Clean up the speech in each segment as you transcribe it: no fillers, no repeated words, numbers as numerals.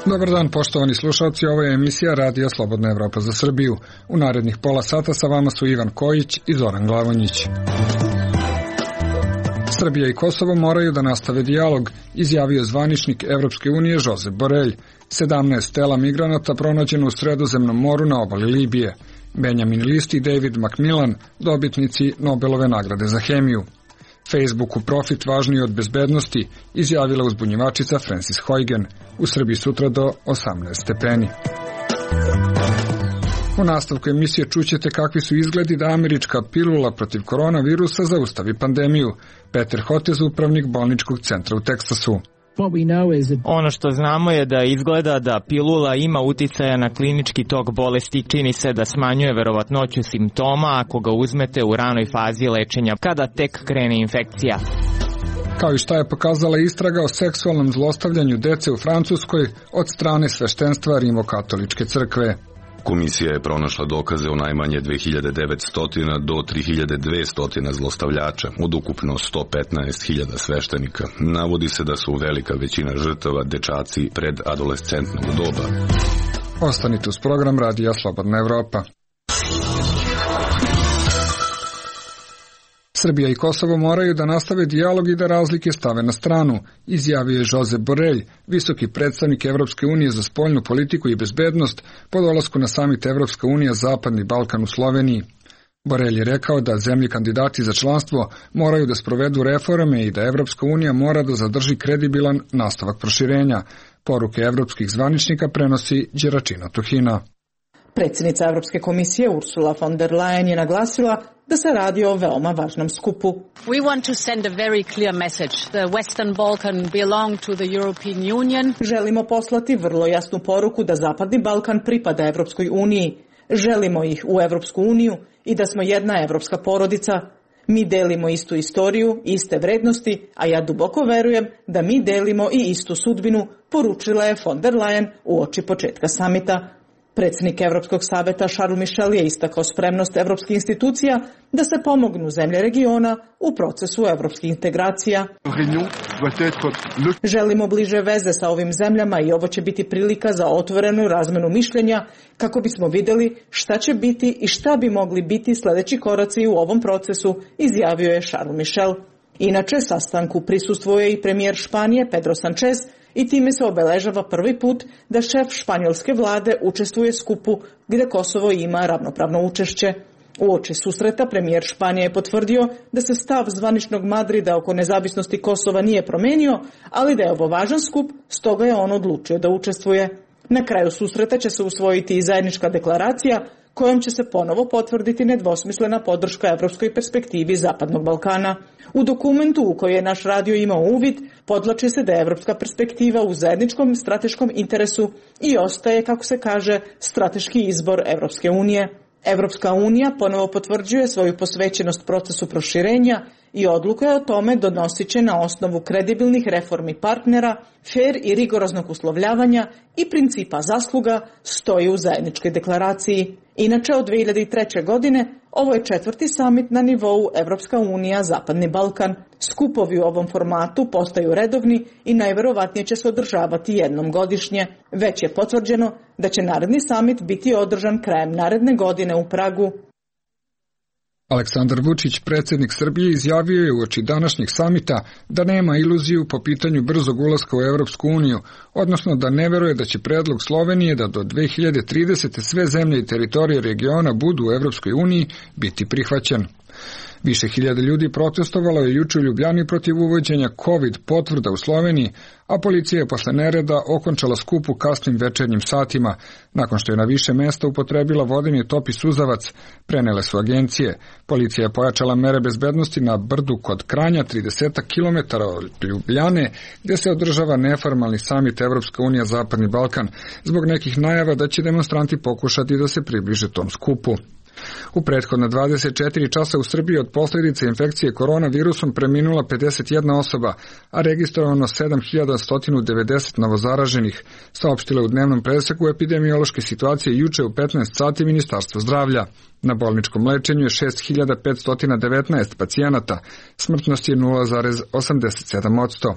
Dobar dan, poštovani slušalci, ovo je emisija Radija Slobodna Evropa za Srbiju. U narednih pola sata sa vama su Ivan Kojić i Zoran Glavonjić. Srbija i Kosovo moraju da nastave dijalog, izjavio zvaničnik Evropske unije Josep Borrell. 17 tela migranata pronađeno u Sredozemnom moru na obali Libije. Benjamin List i David Macmillan, dobitnici Nobelove nagrade za hemiju. Facebooku profit važniji od bezbednosti, izjavila uzbunjivačica Frances Haugen. U Srbiji sutra do 18 stepeni. U nastavku emisije čućete kakvi su izgledi da američka pilula protiv koronavirusa zaustavi pandemiju. Peter Hotez, upravnik bolničkog centra u Teksasu. Ono što znamo je da izgleda da pilula ima uticaja na klinički tok bolesti, čini se da smanjuje verovatnoću simptoma ako ga uzmete u ranoj fazi lečenja, kada tek krene infekcija. Kao i šta je pokazala istraga o seksualnom zlostavljanju dece u Francuskoj od strane sveštenstva Rimokatoličke crkve. Komisija je pronašla dokaze o najmanje 2900 do 3200 zlostavljača, od ukupno 115.000 sveštenika. Navodi se da su velika većina žrtava dečaci pred adolescentnog doba. Ostanite uz program Radija Slobodna Evropa. Srbija i Kosovo moraju da nastave dijalog i da razlike stave na stranu, izjavio je Josep Borrell, visoki predstavnik Evropske unije za spoljnu politiku i bezbednost po dolasku na samit Evropska unija Zapadni Balkan u Sloveniji. Borrell je rekao da zemlje kandidati za članstvo moraju da sprovedu reforme i da Evropska unija mora da zadrži kredibilan nastavak proširenja. Poruke evropskih zvaničnika prenosi Đeračina Tuhina. Predsjednica Evropske komisije Ursula von der Leyen je naglasila da se radi o veoma važnom skupu. We want to send a very clear message. The Western Balkan belong to the European Union. Želimo poslati vrlo jasnu poruku da Zapadni Balkan pripada Evropskoj uniji. Želimo ih u Evropsku uniju i da smo jedna evropska porodica. Mi delimo istu istoriju, iste vrednosti, a ja duboko verujem da mi delimo i istu sudbinu, poručila je von der Leyen uoči početka samita. Predsjednik Evropskog saveta Charles Michel je istakao spremnost evropskih institucija da se pomognu zemlje regiona u procesu evropskih integracija. Želimo bliže veze sa ovim zemljama i ovo će biti prilika za otvorenu razmenu mišljenja kako bismo vidjeli šta će biti i šta bi mogli biti sljedeći koraci u ovom procesu, izjavio je Charles Michel. Inače, sastanku prisustvuje i premijer Španije Pedro Sanchez i time se obeležava prvi put da šef španjolske vlade učestvuje skupu gdje Kosovo ima ravnopravno učešće. Uoči susreta premijer Španije je potvrdio da se stav zvaničnog Madrida oko nezavisnosti Kosova nije promenio, ali da je ovo važan skup, stoga je on odlučio da učestvuje. Na kraju susreta će se usvojiti i zajednička deklaracija kojom će se ponovo potvrditi nedvosmislena podrška evropskoj perspektivi Zapadnog Balkana. U dokumentu u koji je naš radio imao uvid, podvlači se da je evropska perspektiva u zajedničkom strateškom interesu i ostaje, kako se kaže, strateški izbor Evropske unije. Evropska unija ponovo potvrđuje svoju posvećenost procesu proširenja i odluka je o tome donosit će na osnovu kredibilnih reformi partnera, fer i rigoroznog uslovljavanja i principa zasluga, stoji u zajedničkoj deklaraciji. Inače, od 2003. godine ovo je 4. samit na nivou Evropska unija Zapadni Balkan. Skupovi u ovom formatu postaju redovni i najverovatnije će se održavati jednom godišnje. Već je potvrđeno da će naredni samit biti održan krajem naredne godine u Pragu. Aleksandar Vučić, predsjednik Srbije, izjavio je uoči današnjeg samita da nema iluziju po pitanju brzog ulaska u Evropsku uniju, odnosno da ne veruje da će predlog Slovenije da do 2030. sve zemlje i teritorije regiona budu u Evropskoj uniji biti prihvaćen. Više hiljada ljudi protestovalo je juče u Ljubljani protiv uvođenja COVID potvrda u Sloveniji, a policija je posle nereda okončala skup u kasnim večernjim satima. Nakon što je na više mesta upotrebila vodeni top i suzavac, prenele su agencije. Policija je pojačala mere bezbednosti na brdu kod Kranja, 30 km od Ljubljane, gdje se održava neformalni samit Evropska unija Zapadni Balkan, zbog nekih najava da će demonstranti pokušati da se približe tom skupu. U prethodna 24 časa u Srbiji od posljedice infekcije koronavirusom preminula 51 osoba, a registrovano 7190 novozaraženih, saopštile u dnevnom preseku epidemiološke situacije juče u 15 sati Ministarstvo zdravlja. Na bolničkom lečenju je 6519 pacijenata, smrtnost je 0,87%.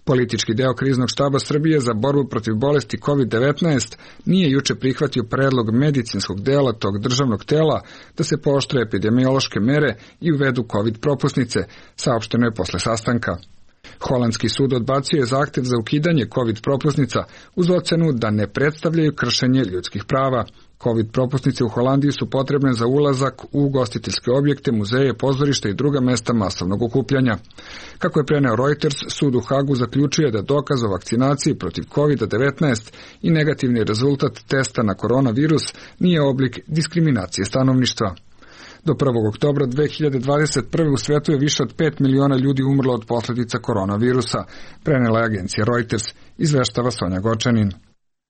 Politički deo kriznog štaba Srbije za borbu protiv bolesti COVID-19 nije juče prihvatio predlog medicinskog dela tog državnog tela da se pooštre epidemiološke mere i uvedu COVID propusnice, saopšteno je posle sastanka. Holandski sud odbacio je zahtev za ukidanje COVID propusnica uz ocenu da ne predstavljaju kršenje ljudskih prava. COVID propusnice u Holandiji su potrebne za ulazak u ugostiteljske objekte, muzeje, pozorišta i druga mesta masovnog okupljanja. Kako je preneo Reuters, sud u Hagu zaključuje da dokaz o vakcinaciji protiv COVID-19 i negativni rezultat testa na koronavirus nije oblik diskriminacije stanovništva. Do 1. oktobra 2021. u svetu je više od 5 miliona ljudi umrlo od posljedica koronavirusa, prenela je agencija Reuters, izveštava Sonja Gočanin.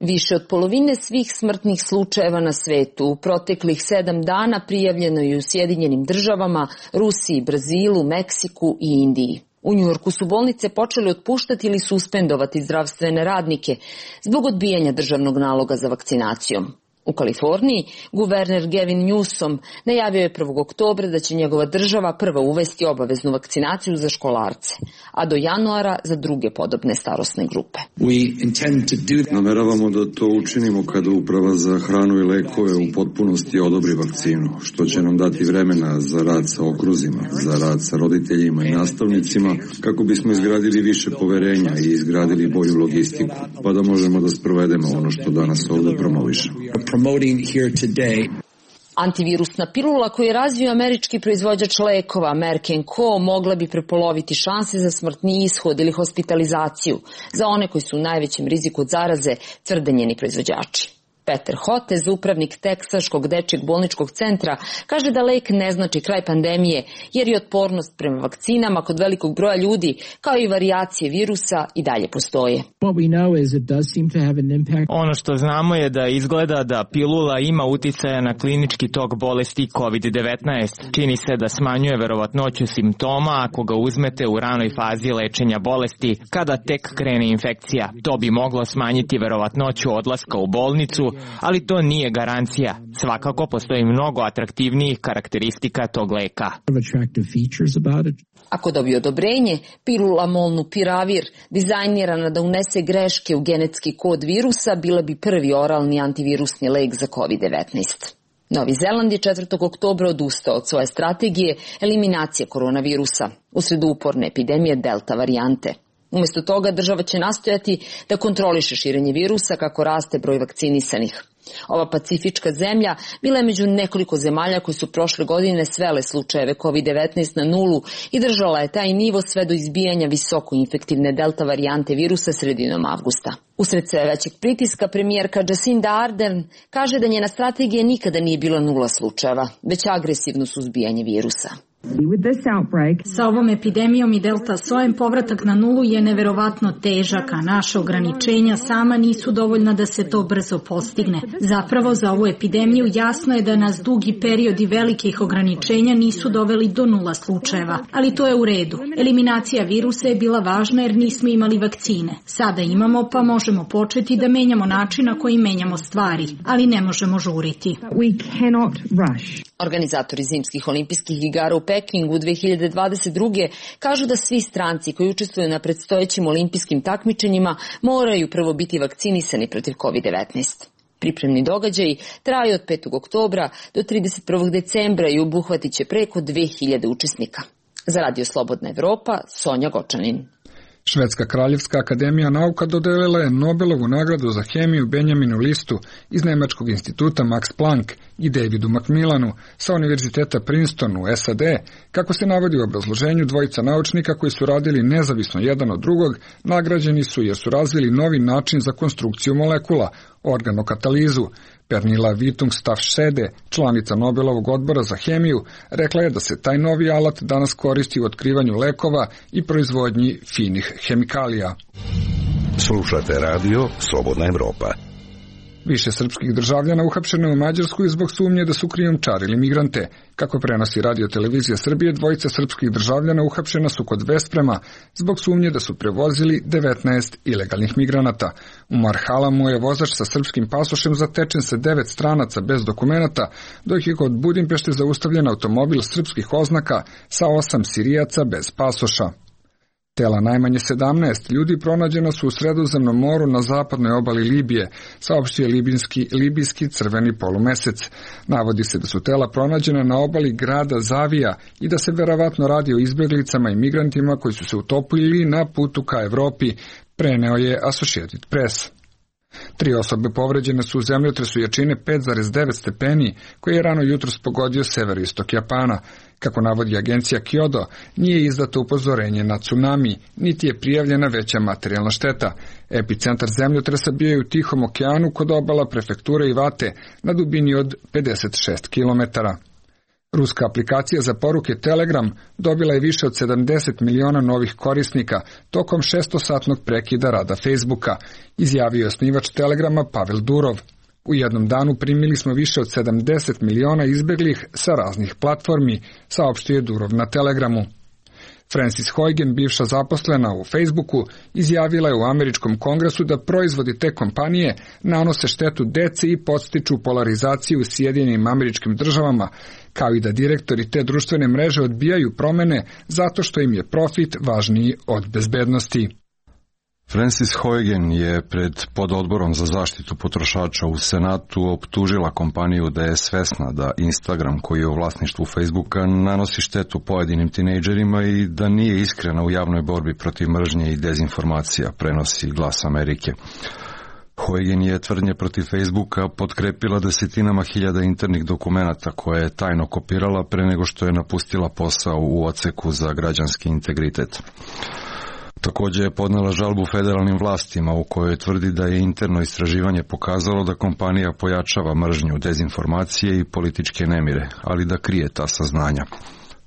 Više od polovine svih smrtnih slučajeva na svetu u proteklih 7 dana prijavljeno je u Sjedinjenim državama, Rusiji, Brazilu, Meksiku i Indiji. U Njujorku su bolnice počeli otpuštati ili suspendovati zdravstvene radnike zbog odbijanja državnog naloga za vakcinacijom. U Kaliforniji guverner Gavin Newsom najavio je 1. oktobra da će njegova država prva uvesti obaveznu vakcinaciju za školarce, a do januara za druge podobne starosne grupe. Nameravamo da to učinimo kada Uprava za hranu i lekove u potpunosti odobri vakcinu, što će nam dati vremena za rad sa okruzima, za rad sa roditeljima i nastavnicima, kako bismo izgradili više poverenja i izgradili bolju logistiku, pa da možemo da sprovedemo ono što danas ovdje promovišemo. Antivirusna pilula koju je razvio američki proizvođač lekova Merck & Co. mogla bi prepoloviti šanse za smrtni ishod ili hospitalizaciju za one koji su u najvećem riziku od zaraze, tvrde njeni proizvođači. Peter Hotez, upravnik Teksaškog dečjeg bolničkog centra, kaže da lek ne znači kraj pandemije, jer je otpornost prema vakcinama kod velikog broja ljudi, kao i varijacije virusa, i dalje postoje. Ono što znamo je da izgleda da pilula ima uticaja na klinički tok bolesti COVID-19. Čini se da smanjuje verovatnoću simptoma ako ga uzmete u ranoj fazi lečenja bolesti, kada tek krene infekcija. To bi moglo smanjiti verovatnoću odlaska u bolnicu, ali to nije garancija. Svakako postoji mnogo atraktivnijih karakteristika tog leka. Ako dobije odobrenje, pilula molnupiravir, dizajnirana da unese greške u genetski kod virusa, bila bi prvi oralni antivirusni lek za COVID-19. Novi Zeland je 4. oktobra odustao od svoje strategije eliminacije koronavirusa usred uporne epidemije delta varijante. Umjesto toga država će nastojati da kontroliše širenje virusa kako raste broj vakcinisanih. Ova pacifička zemlja bila je među nekoliko zemalja koji su prošle godine svele slučajeve COVID-19 na nulu i držala je taj nivo sve do izbijanja visoko infektivne delta varijante virusa sredinom avgusta. Usred sve većeg pritiska premijerka Jacinda Ardern kaže da njena strategija nikada nije bila nula slučajeva, već agresivno suzbijanje virusa. Sa ovom epidemijom i delta sojem povratak na nulu je neverovatno težak, a naša ograničenja sama nisu dovoljna da se to brzo postigne. Zapravo za ovu epidemiju jasno je da nas dugi periodi velikih ograničenja nisu doveli do nula slučajeva, ali to je u redu. Eliminacija virusa je bila važna jer nismo imali vakcine. Sada imamo, pa možemo početi da menjamo način na koji menjamo stvari, ali ne možemo žuriti. Organizatori zimskih olimpijskih igara u Pekingu 2022. kažu da svi stranci koji učestvuju na predstojećim olimpijskim takmičenjima moraju prvo biti vakcinisani protiv COVID-19. Pripremni događaji traju od 5. oktobra do 31. decembra i obuhvatit će preko 2000 učesnika. Za Radio Slobodna Evropa, Sonja Gočanin. Švedska kraljevska akademija nauka dodelila je Nobelovu nagradu za hemiju Benjaminu Listu iz Nemačkog instituta Max Planck i Davidu Macmillanu sa Univerziteta Princeton u SAD, kako se navodi u obrazloženju. Dvojica naučnika koji su radili nezavisno jedan od drugog nagrađeni su jer su razvili novi način za konstrukciju molekula, organokatalizu. Pernilla Vitungstafsede, članica Nobelovog odbora za hemiju, rekla je da se taj novi alat danas koristi u otkrivanju lekova i proizvodnji finih hemikalija. Slušate radio Slobodna Evropa. Više srpskih državljana uhapšeno je u Mađarskoj zbog sumnje da su krijumčarili migrante. Kako prenosi Radio Televizija Srbije, dvojica srpskih državljana uhapšena su kod Vesprema zbog sumnje da su prevozili 19 ilegalnih migranata. U Marhalamu je vozač sa srpskim pasošem zatečen sa 9 stranaca bez dokumenata, dok je kod Budimpešte zaustavljen automobil srpskih oznaka sa 8 Sirijaca bez pasoša. Tela najmanje 17 ljudi pronađena su u Sredozemnom moru na zapadnoj obali Libije, saopštio libijski crveni polumesec. Navodi se da su tela pronađena na obali grada Zavija i da se verovatno radi o izbjeglicama i migrantima koji su se utopili na putu ka Evropi, preneo je Associated Press. 3 osobe povređene su u zemljotresu jačine 5,9 stepeni, koji je rano jutros pogodio severoistok Japana. Kako navodi agencija Kyodo, nije izdato upozorenje na tsunami, niti je prijavljena veća materijalna šteta. Epicentar zemljotresa bio je u Tihom okeanu kod obala prefekture Iwate na dubini od 56 km. Ruska aplikacija za poruke Telegram dobila je više od 70 miliona novih korisnika tokom 600-satnog prekida rada Facebooka, izjavio je osnivač Telegrama Pavel Durov. U jednom danu primili smo više od 70 miliona izbeglih sa raznih platformi, saopštio je Durov na Telegramu. Frances Haugen, bivša zaposlena u Facebooku, izjavila je u američkom kongresu da proizvodi te kompanije nanose štetu deci i podstiču polarizaciju u Sjedinjenim Američkim Državama, kao i da direktori te društvene mreže odbijaju promene zato što im je profit važniji od bezbednosti. Frances Haugen je pred pododborom za zaštitu potrošača u Senatu optužila kompaniju da je svesna da Instagram, koji je u vlasništvu Facebooka, nanosi štetu pojedinim tinejdžerima i da nije iskrena u javnoj borbi protiv mržnje i dezinformacija, prenosi Glas Amerike. Haugen je tvrdnje protiv Facebooka potkrepila desetinama hiljada internih dokumenata koje je tajno kopirala pre nego što je napustila posao u odseku za građanski integritet. Također je podnela žalbu federalnim vlastima u kojoj tvrdi da je interno istraživanje pokazalo da kompanija pojačava mržnju, dezinformacije i političke nemire, ali da krije ta saznanja.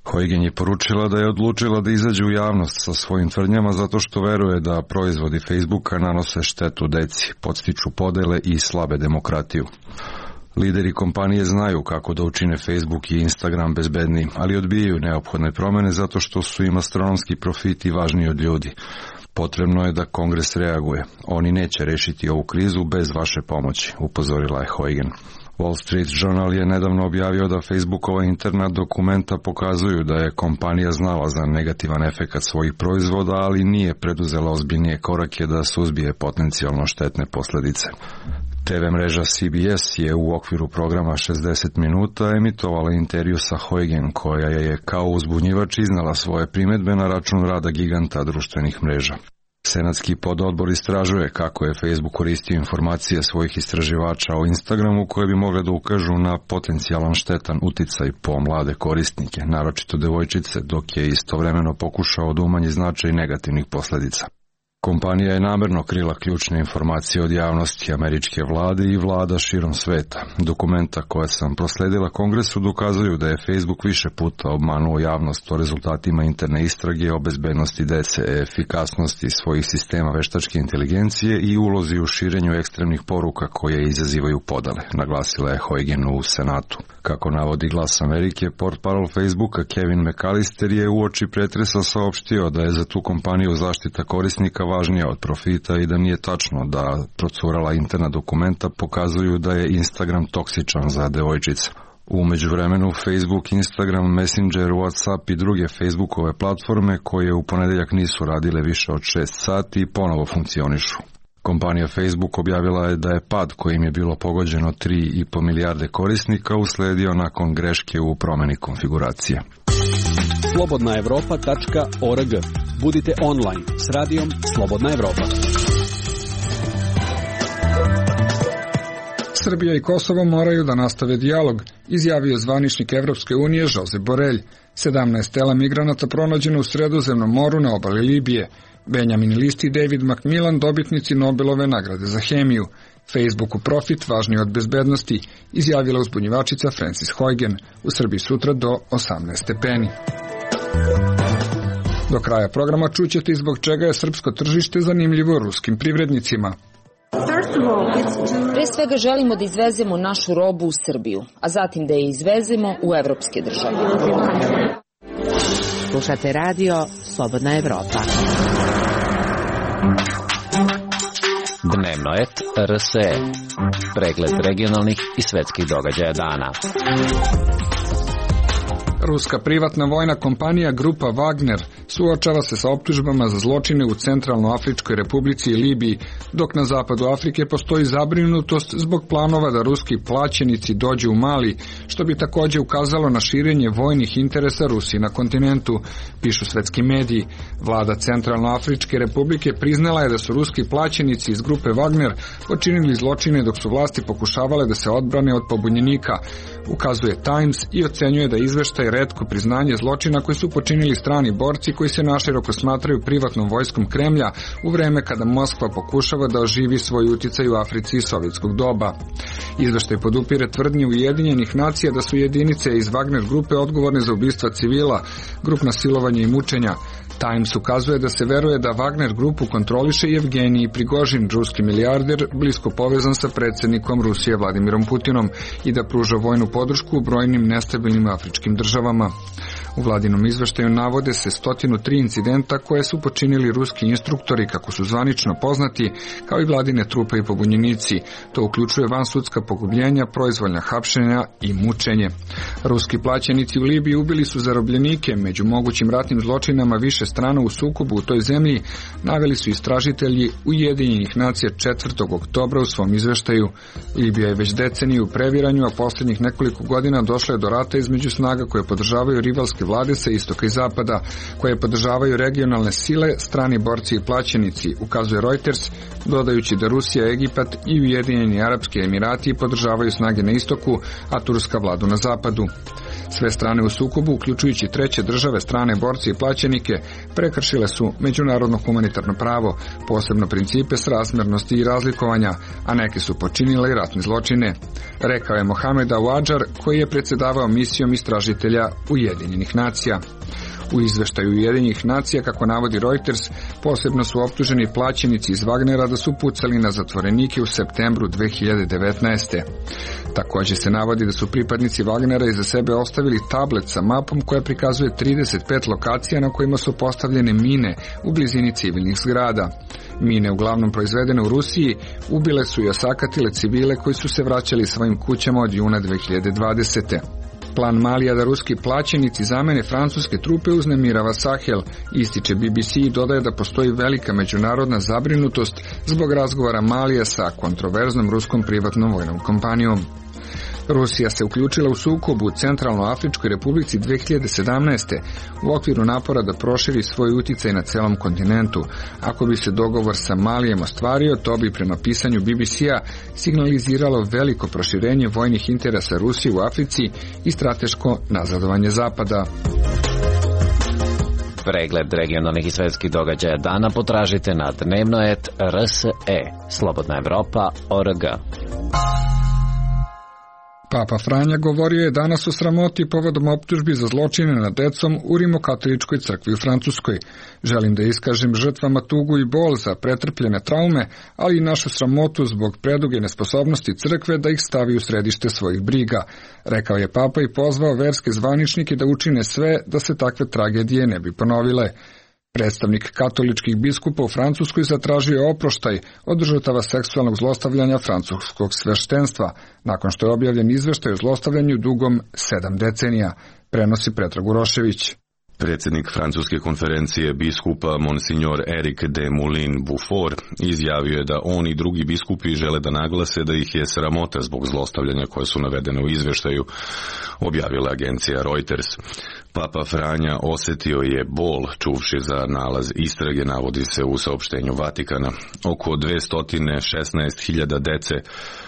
Haugen je poručila da je odlučila da izađe u javnost sa svojim tvrdnjama zato što veruje da proizvodi Facebooka nanose štetu deci, podstiču podele i slabe demokratiju. Lideri kompanije znaju kako da učine Facebook i Instagram bezbednijim, ali odbijaju neophodne promene zato što su im astronomski profiti važniji od ljudi. Potrebno je da Kongres reaguje. Oni neće rešiti ovu krizu bez vaše pomoći, upozorila je Haugen. Wall Street Journal je nedavno objavio da Facebookova interna dokumenta pokazuju da je kompanija znala za negativan efekat svojih proizvoda, ali nije preduzela ozbiljnije korake da suzbije potencijalno štetne posljedice. TV mreža CBS je u okviru programa 60 minuta emitovala intervju sa Haugen, koja je kao uzbunjivač iznala svoje primedbe na račun rada giganta društvenih mreža. Senatski pododbor istražuje kako je Facebook koristio informacije svojih istraživača o Instagramu koje bi mogle da ukažu na potencijalan štetan uticaj po mlade korisnike, naročito devojčice, dok je istovremeno pokušao da umanji značaj negativnih posljedica. Kompanija je namerno krila ključne informacije od javnosti američke vlade i vlada širom sveta. Dokumenta koje sam prosledila Kongresu dokazuju da je Facebook više puta obmanuo javnost o rezultatima interne istrage o bezbednosti dece, efikasnosti svojih sistema veštačke inteligencije i ulozi u širenju ekstremnih poruka koje izazivaju podele, naglasila je Haugen u Senatu. Kako navodi Glas Amerike, portparol Facebooka Kevin McAllister je uoči pretresa saopštio da je za tu kompaniju zaštita korisnika važnija od profita i da nije tačno da procurala interna dokumenta pokazuju da je Instagram toksičan za devojčice. U međuvremenu Facebook, Instagram, Messenger, WhatsApp i druge Facebookove platforme koje u ponedeljak nisu radile više od 6 sati ponovo funkcionišu. Kompanija Facebook objavila je da je pad kojim je bilo pogođeno 3,5 milijarde korisnika usledio nakon greške u promeni konfiguracije. slobodnaevropa.org. Budite online s radijom Slobodna Evropa. Srbija i Kosovo moraju da nastave dijalog, izjavio zvaničnik Evropske unije Josep Borrell. 17 tela migranata pronađeno u Sredozemnom moru na obali Libije. Benjamin List i David Macmillan, dobitnici Nobelove nagrade za hemiju. Facebooku profit važniji od bezbednosti, izjavila uzbunjivačica Frances Haugen. U Srbiji sutra do 18 stepeni. Do kraja programa čućete i zbog čega je srpsko tržište zanimljivo ruskim privrednicima. Pre svega želimo da izvezemo našu robu u Srbiju, a zatim da je izvezemo u evropske države. Slušate radio Slobodna Evropa. Dnevnoet RSE. Pregled regionalnih i svetskih događaja dana. Ruska privatna vojna kompanija Grupa Wagner suočava se sa optužbama za zločine u Centralnoafričkoj republici i Libiji, dok na zapadu Afrike postoji zabrinutost zbog planova da ruski plaćenici dođu u Mali, što bi također ukazalo na širenje vojnih interesa Rusije na kontinentu, pišu svetski mediji. Vlada Centralnoafričke republike priznala je da su ruski plaćenici iz Grupe Wagner počinili zločine dok su vlasti pokušavale da se odbrane od pobunjenika, ukazuje Times i ocenjuje da izveštaj retko priznanje zločina koji su počinili strani borci koji se naširoko smatraju privatnom vojskom Kremlja u vreme kada Moskva pokušava da oživi svoj uticaj u Africi iz sovjetskog doba. Izveštaj podupire tvrdnje Ujedinjenih nacija da su jedinice iz Wagner grupe odgovorne za ubistva civila, grupna silovanja i mučenja. Times ukazuje da se veruje da Wagner grupu kontroliše Evgenij Prigožin, ruski milijarder, blisko povezan sa predsjednikom Rusije Vladimirom Putinom i da pruža vojnu podršku u brojnim nestabilnim afričkim državama. U vladinom izveštaju navode se 103 incidenta koje su počinili ruski instruktori, kako su zvanično poznati, kao i vladine trupe i pobunjenici. To uključuje vansudska pogubljenja, proizvoljna hapšenja i mučenje. Ruski plaćenici u Libiji ubili su zarobljenike. Među mogućim ratnim zločinama više strana u sukobu u toj zemlji naveli su istražitelji Ujedinjenih nacija 4. oktobra u svom izveštaju. Libija je već deceniju u previranju, a posljednjih nekoliko godina došlo je do rata između snaga koje podržavaju rivalske vlade sa istoka i zapada, koje podržavaju regionalne sile, strani borci i plaćenici, ukazuje Reuters, dodajući da Rusija, Egipat i Ujedinjeni Arapski Emirati podržavaju snage na istoku, a Turska vladu na zapadu. Sve strane u sukobu, uključujući treće države, strane borci i plaćenike, prekršile su međunarodno humanitarno pravo, posebno principe srazmjernosti i razlikovanja, a neke su počinile i ratne zločine, rekao je Mohamed Awadžar, koji je predsjedavao misijom istražitelja Ujedinjenih nacija. U izveštaju Ujedinjenih nacija, kako navodi Reuters, posebno su optuženi plaćenici iz Wagnera da su pucali na zatvorenike u septembru 2019. Također se navodi da su pripadnici Wagnera iza sebe ostavili tablet sa mapom koja prikazuje 35 lokacija na kojima su postavljene mine u blizini civilnih zgrada. Mine, uglavnom proizvedene u Rusiji, ubile su i osakatile civile koji su se vraćali svojim kućama od juna 2020. Plan Malija da ruski plaćenici zamene francuske trupe uznemirava Sahel, ističe BBC i dodaje da postoji velika međunarodna zabrinutost zbog razgovora Malija sa kontroverznom ruskom privatnom vojnom kompanijom. Rusija se uključila u sukobu u Centralnoafričkoj republici 2017. u okviru napora da proširi svoj uticaj na celom kontinentu. Ako bi se dogovor sa Malijem ostvario, to bi prema pisanju BBC-a signaliziralo veliko proširenje vojnih interesa Rusije u Africi i strateško nazadovanje Zapada. Pregled regionalnih i svetskih događaja dana potražite na dnevnoet.rse. Slobodna Evropa.org. Papa Franja govorio je danas o sramoti povodom optužbi za zločine nad decom u Rimokatoličkoj crkvi u Francuskoj. Želim da iskažem žrtvama tugu i bol za pretrpljene traume, ali i našu sramotu zbog preduge nesposobnosti crkve da ih stavi u središte svojih briga, rekao je Papa i pozvao verske zvaničnike da učine sve da se takve tragedije ne bi ponovile. Predstavnik katoličkih biskupa u Francuskoj zatražio je oproštaj od žrtava seksualnog zlostavljanja francuskog sveštenstva, nakon što je objavljen izveštaj o zlostavljanju dugom 7 decenija, prenosi Predrag Urošević. Predsjednik francuske konferencije biskupa Monsignor Eric de Moulin-Beaufort izjavio je da on i drugi biskupi žele da naglase da ih je sramota zbog zlostavljanja koje su navedene u izvještaju, objavila agencija Reuters. Papa Franja osjetio je bol čuvši za nalaz istrage, navodi se u saopštenju Vatikana. Oko 216.000 dece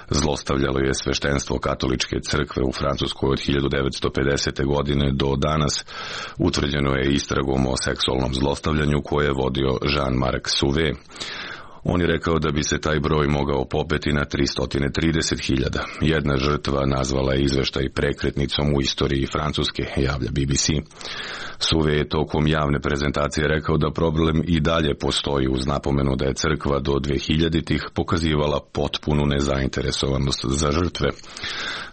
zlostavljalo je sveštenstvo katoličke crkve u Francuskoj od 1950. godine do danas. Utvrđeno je istragom o seksualnom zlostavljanju koje je vodio Jean-Marc Sauvé. On je rekao da bi se taj broj mogao popeti na 330.000. Jedna žrtva nazvala je izveštaj prekretnicom u istoriji Francuske, javlja BBC. Sauvé je tokom javne prezentacije rekao da problem i dalje postoji uz napomenu da je crkva do 2000-ih pokazivala potpunu nezainteresovanost za žrtve.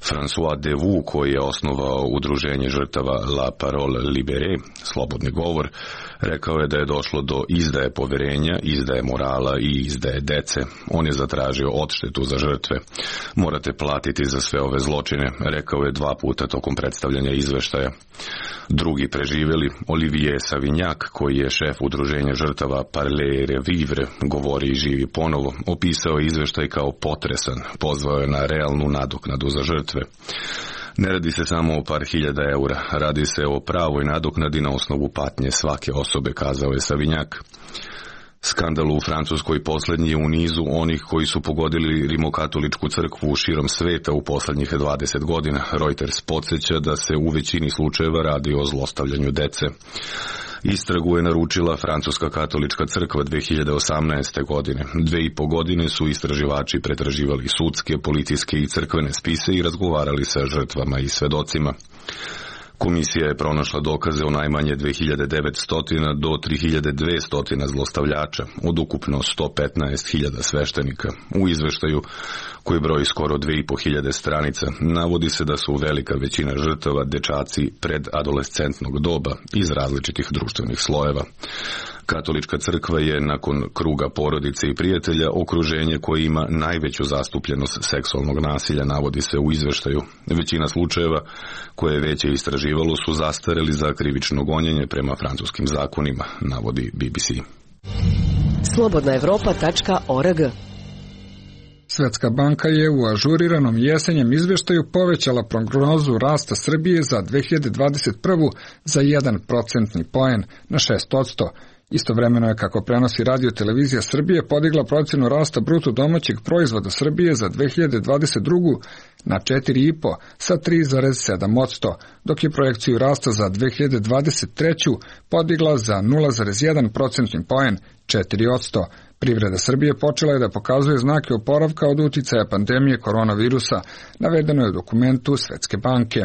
François Devou, koji je osnovao udruženje žrtava La Parole Libérée, slobodni govor, Rekao je da je došlo do izdaje poverenja, izdaje morala i izdaje dece. On je zatražio odštetu za žrtve. Morate platiti za sve ove zločine, rekao je 2 puta tokom predstavljanja izveštaja. Drugi preživeli, Olivier Savignac, koji je šef udruženja žrtava Parler et Revivre, govori i živi ponovo, opisao je izveštaj kao potresan, pozvao je na realnu nadoknadu za žrtve. Ne radi se samo o par hiljada eura, radi se o pravoj nadoknadi na osnovu patnje svake osobe, kazao je Savignac. Skandal u Francuskoj poslednji je u nizu onih koji su pogodili rimokatoličku crkvu širom sveta u poslednjih 20 godina. Reuters podsjeća da se u većini slučajeva radi o zlostavljanju dece. Istragu je naručila Francuska katolička crkva 2018. godine. 2,5 godine su istraživači pretraživali sudske, policijske i crkvene spise i razgovarali sa žrtvama i svedocima. Komisija je pronašla dokaze o najmanje 2900 do 3200 zlostavljača, od ukupno 115.000 sveštenika. U izveštaju, koji broji skoro 2500 stranica, navodi se da su velika većina žrtava dečaci predadolescentnog doba iz različitih društvenih slojeva. Katolička crkva je nakon kruga porodice i prijatelja okruženje koje ima najveću zastupljenost seksualnog nasilja, navodi se u izveštaju. Većina slučajeva koje je veće istraživalo su zastareli za krivično gonjenje prema francuskim zakonima, navodi BBC. Slobodnaevropa.org. Svetska banka je u ažuriranom jesenjem izveštaju povećala prognozu rasta Srbije za 2021. za 1 procentni poen na 6%. Istovremeno je, kako prenosi Radio Televizija Srbije, podigla procenu rasta bruto domaćeg proizvoda Srbije za 2022. na 4,5 sa 3,7%, dok je projekciju rasta za 2023. podigla za 0,1 procentni poen, 4%. Privreda Srbije počela je da pokazuje znake oporavka od uticaja pandemije koronavirusa, navedeno je u dokumentu Svetske banke.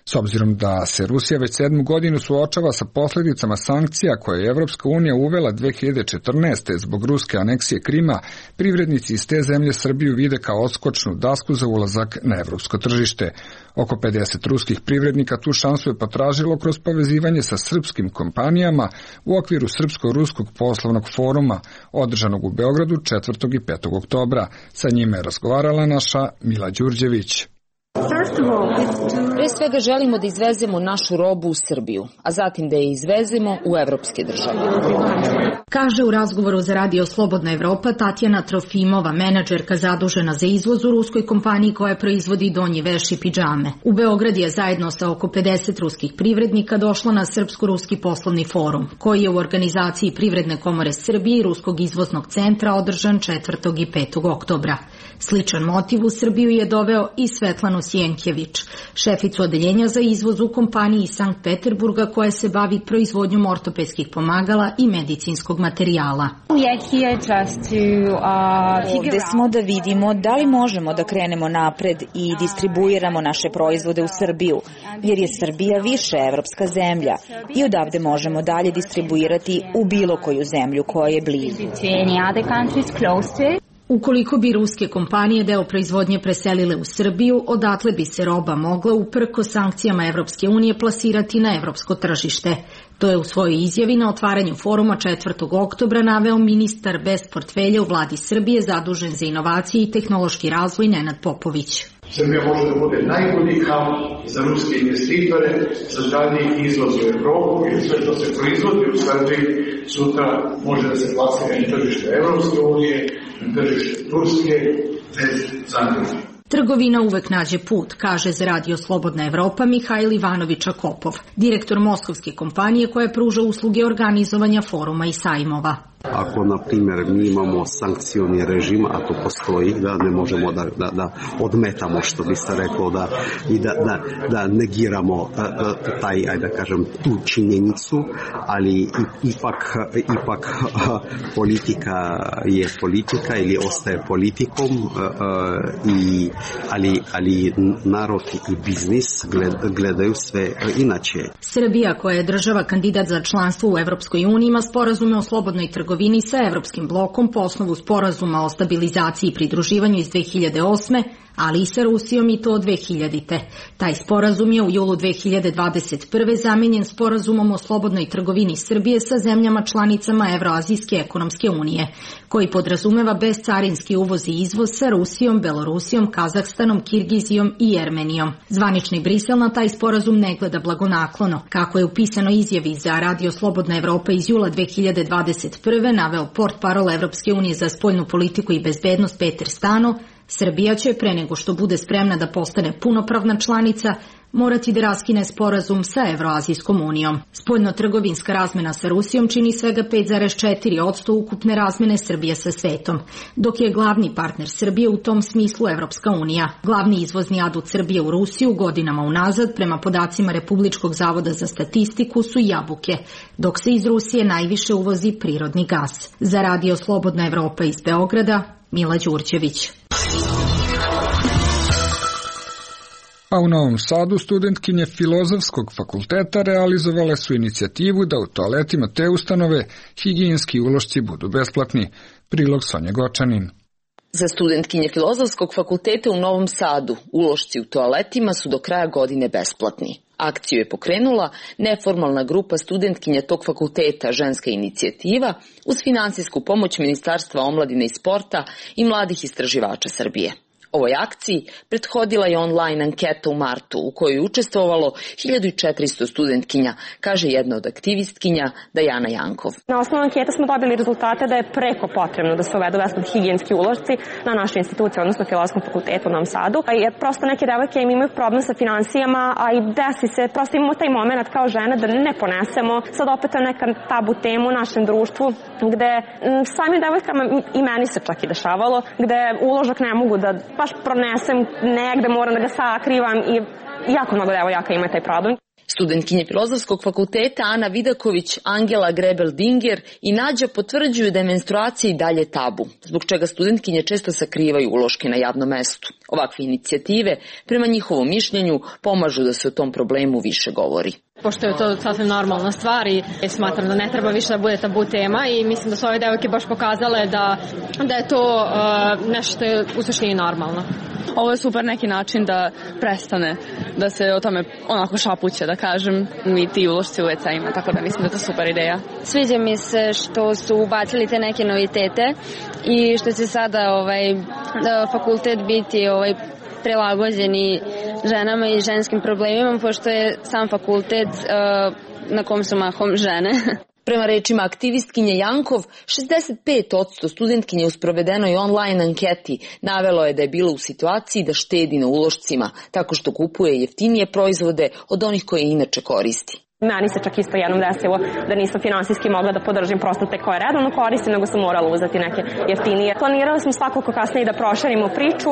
S obzirom da se Rusija već 7. godinu suočava sa posljedicama sankcija koje je Evropska unija uvela 2014. zbog ruske aneksije Krima, privrednici iz te zemlje Srbiju vide kao odskočnu dasku za ulazak na evropsko tržište. Oko 50 ruskih privrednika tu šansu je potražilo kroz povezivanje sa srpskim kompanijama u okviru Srpsko-ruskog poslovnog foruma, održanog u Beogradu 4. i 5. oktobra. Sa njime je razgovarala naša Mila Đurđević. Pre svega želimo da izvezemo našu robu u Srbiju, a zatim da je izvezemo u evropske države. Kaže u razgovoru za Radio Slobodna Evropa Tatjana Trofimova, menadžerka zadužena za izvoz u ruskoj kompaniji koja proizvodi donji veš i pidžame. U Beograd je zajedno sa oko 50 ruskih privrednika došla na Srpsko-ruski poslovni forum, koji je u organizaciji Privredne komore Srbije i Ruskog izvoznog centra održan 4. i 5. oktobra. Sličan motiv u Srbiju je doveo i Svetlanu Sjenkjević, šeficu odeljenja za izvoz u kompaniji iz Sankt Peterburga koja se bavi proizvodnjom ortopedskih pomagala i medicinskog materijala. Ovde smo da vidimo da li možemo da krenemo napred i distribuiramo naše proizvode u Srbiju, jer je Srbija više evropska zemlja i odavde možemo dalje distribuirati u bilo koju zemlju koja je blizu. Ukoliko bi ruske kompanije deo proizvodnje preselile u Srbiju, odatle bi se roba mogla uprko sankcijama Evropske unije plasirati na evropsko tržište. To je u svojoj izjavi na otvaranju foruma 4. oktobra naveo ministar bez portfelja u vladi Srbije zadužen za inovacije i tehnološki razvoj Nenad Popović. Srbija može da bude najbolji hub za ruske investitore, za dalji izvoz u Evropu i sve što se proizvodi u Srbiji sutra može da se plasira na tržište Evropske unije, na tržište Turske, bez zagrade. Trgovina uvek nađe put, kaže za Radio Slobodna Evropa Mihajl Ivanović-Akopov, direktor moskovske kompanije koja pruža usluge organizovanja foruma i sajmova. Ako, na primjer, mi imamo sankcioni režim, a to postoji, da ne možemo da odmetamo, što bi se reklo, da negiramo taj, ajde da kažem, tu činjenicu, ali ipak politika je politika ili ostaje politikom, ali narod i biznis gledaju sve inače. Srbija, koja je država kandidat za članstvo u Evropskoj uniji, ima sporazume o slobodnoj trgovini sa Evropskim blokom po osnovu sporazuma o stabilizaciji i pridruživanju iz 2008. ali i sa Rusijom i to od 2000. Taj sporazum je u julu 2021. zamenjen sporazumom o slobodnoj trgovini Srbije sa zemljama članicama Evroazijske ekonomske unije, koji podrazumeva bezcarinski uvoz i izvoz sa Rusijom, Belorusijom, Kazahstanom, Kirgizijom i Jermenijom. Zvanični Brisel na taj sporazum ne gleda blagonaklono. Kako je u pisanoj izjavi za Radio Slobodna Evropa iz jula 2021. naveo portparol Evropske unije za spoljnu politiku i bezbednost Peter Stano, Srbija će, pre nego što bude spremna da postane punopravna članica, morati da raskine sporazum sa Evroazijskom unijom. Spoljno-trgovinska razmena sa Rusijom čini svega 5,4% ukupne razmene Srbije sa svetom, dok je glavni partner Srbije u tom smislu Evropska unija. Glavni izvozni adut Srbije u Rusiju godinama unazad, prema podacima Republičkog zavoda za statistiku, su jabuke, dok se iz Rusije najviše uvozi prirodni gas. Za Radio Slobodna Evropa iz Beograda, Mila Đurđević. A u Novom Sadu studentkinje Filozofskog fakulteta realizovale su inicijativu da u toaletima te ustanove higijenski ulošci budu besplatni. Prilog Sonja Gočanin. Za studentkinje Filozofskog fakulteta u Novom Sadu ulošci u toaletima su do kraja godine besplatni. Akciju je pokrenula neformalna grupa studentkinja tog fakulteta Ženska inicijativa uz finansijsku pomoć Ministarstva omladine i sporta i mladih istraživača Srbije. Ovoj akciji prethodila je online anketa u martu u kojoj je učestvovalo 1400 studentkinja, kaže jedna od aktivistkinja Dajana Jankov. Na osnovu ankete smo dobili rezultate da je preko potrebno da se uvedu besplatni higijenski ulošci na našoj instituciji, odnosno Filozofskom fakultetu u Novom Sadu. Jer prosto neke devojke imaju problem sa finansijama, a i desi se, prosto imamo taj moment kao žene da ne ponesemo. Sad opet je neka tabu tema u našem društvu gde samim devojkama i meni se čak i dešavalo, gde uložak ne mogu da baš pronesem negde, moram da ga sakrivam i jako mnogo devojaka ima taj problem. Studentkinje Filozofskog fakulteta Ana Vidaković, Angela Grebel-Dinger i Nađa potvrđuju da je menstruacija i dalje tabu, zbog čega studentkinje često sakrivaju uloške na javnom mestu. Ovakve inicijative, prema njihovom mišljenju, pomažu da se o tom problemu više govori. Pošto je to sasvim normalna stvar i smatram da ne treba više da bude tabu tema i mislim da su ove devojke baš pokazale da je to nešto što je u suštini normalno. Ovo je super neki način da prestane da se o tome onako šapuće, da kažem, i ti ulošci u WC-ima, tako da mislim da je to super ideja. Sviđa mi se što su ubacili te neke novitete i što će sada fakultet biti prilagođeni ženama i ženskim problemima, pošto je sam fakultet na kom su mahom žene. Prema rečima aktivistkinje Jankov, 65% studentkinje u sprovedenoj online anketi navelo je da je bilo u situaciji da štedi na ulošcima, tako što kupuje jeftinije proizvode od onih koje inače koristi. Meni se čak isto jednom desilo da nisam finansijski mogla da podržim prosto te koje redovno koristim, nego sam morala uzeti neke jeftinije. Planirali smo svakako kasnije da proširimo priču,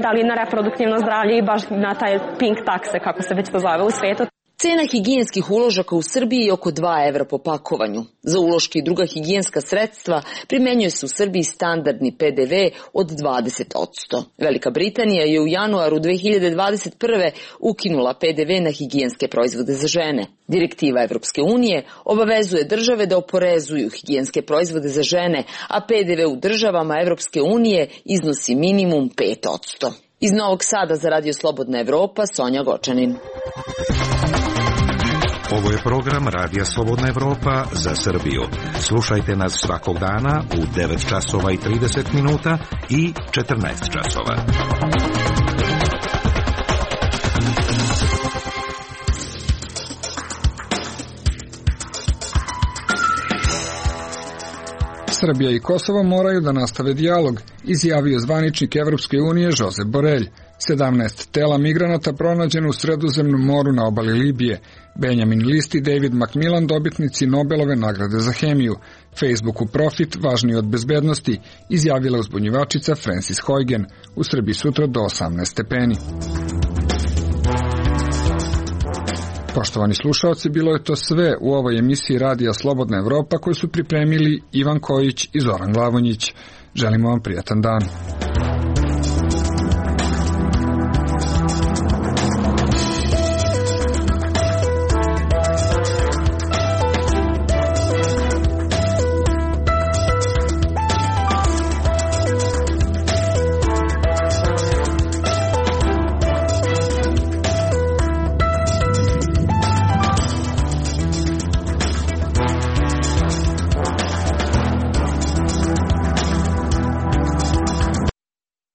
da li na reproduktivno zdravlje i baš na taj pink takse, kako se već to zove u svetu. Cena higijenskih uložaka u Srbiji je oko 2 evra po pakovanju. Za uloške i druga higijenska sredstva primenjuje se u Srbiji standardni PDV od 20%. Velika Britanija je u januaru 2021. ukinula PDV na higijenske proizvode za žene. Direktiva Evropske unije obavezuje države da oporezuju higijenske proizvode za žene, a PDV u državama Evropske unije iznosi minimum 5%. Iz Novog Sada za Radio Slobodna Evropa, Sonja Gočanin. Ovo je program Radija Slobodna Evropa za Srbiju. Slušajte nas svakog dana u 9 časova i 30 minuta i 14 časova. Srbija i Kosovo moraju da nastave dijalog, izjavio zvaničnik Evropske unije Josep Borrell. 17 tela migranata pronađeno u Sredozemnom moru na obali Libije. Benjamin List i David Macmillan, dobitnici Nobelove nagrade za hemiju. Facebooku profit važniji od bezbednosti, izjavila uzbunjivačica Frances Haugen. U Srbiji sutra do 18 stepeni. Poštovani slušaoci, bilo je to sve u ovoj emisiji Radija Slobodna Evropa koju su pripremili Ivan Kojić i Zoran Glavonjić. Želimo vam prijatan dan.